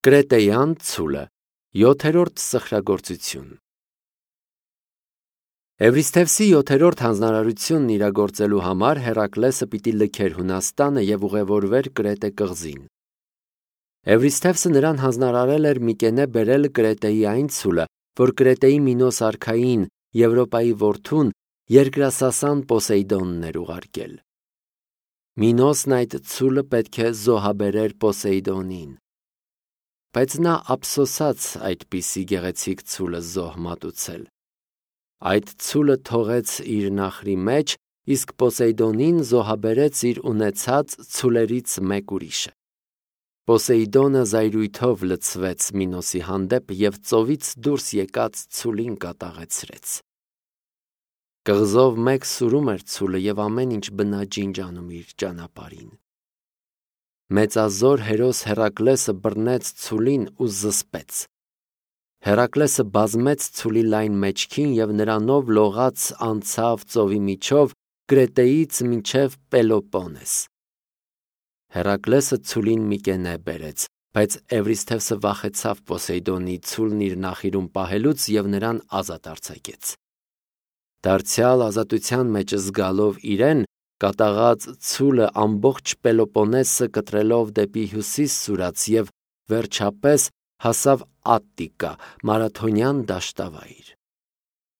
Կրետեյան ցուլը, 7-րդ սխրագործություն։ Էվրիսթևսի 7-րդ հանձնարարությունն իրագործելու համար Հերակլեսը պիտի լքեր Հունաստանը և ուղևորվեր Կրետե կղզին։ Էվրիսթևսը նրան հանձնարարել էր Միկենե բերել Կրետեի այն ցուլը, որ Կրետեի Մինոս արքային, Եվրոպայի որդուն, երկրասասան Պոսեյդոնն էր ուղարկել։ Մինոսն այդ ցուլը պետք է զոհաբերեր Պոսեյդոնին։ Բայց նա ափսոսաց այդպիսի գեղեցիկ ցուլը զոհ մատուցել։ Այդ ցուլը թողեց իր նախրի մեջ, իսկ Պոսեյդոնին զոհաբերեց իր ունեցած ցուլերից մեկ ուրիշը։ Պոսեյդոնը զայրույթով լցվեց Մինոսի հանդեպ և ծովից դուրս եկած ցուլին կատաղեցրեց։ Կղզով մեկ սուրում էր ցուլը և ամեն ինչ բնաջինջ անում իր ճանապարհին։ Մեծազոր հերոս Հերակլեսը բռնեց ցուլին ու զսպեց։ Հերակլեսը բազմեց ցուլի լայն մեջքին և նրանով լողաց անցավ ծովի միջով Կրետեից մինչև Պելոպոնես։ Հերակլեսը ցուլին Միկենե բերեց, բայց Էվրիսթևսը վախեցավ Պոսեյդոնի ցուլն իր նախիրում պահելուց և նրան ազատ արձակեց։ Դարձյալ ազատության մեջ զգալով իրեն, կատաղած ցուլը ամբողջ Պելոպոնեսը կտրելով դեպի հյուսիս սուրաց և վերջապես հասավ Ատտիկա, Մարաթոնյան դաշտավայր։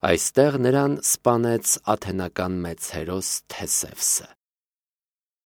Այստեղ նրան սպանեց աթենական մեծ հերոս Թեսևսը։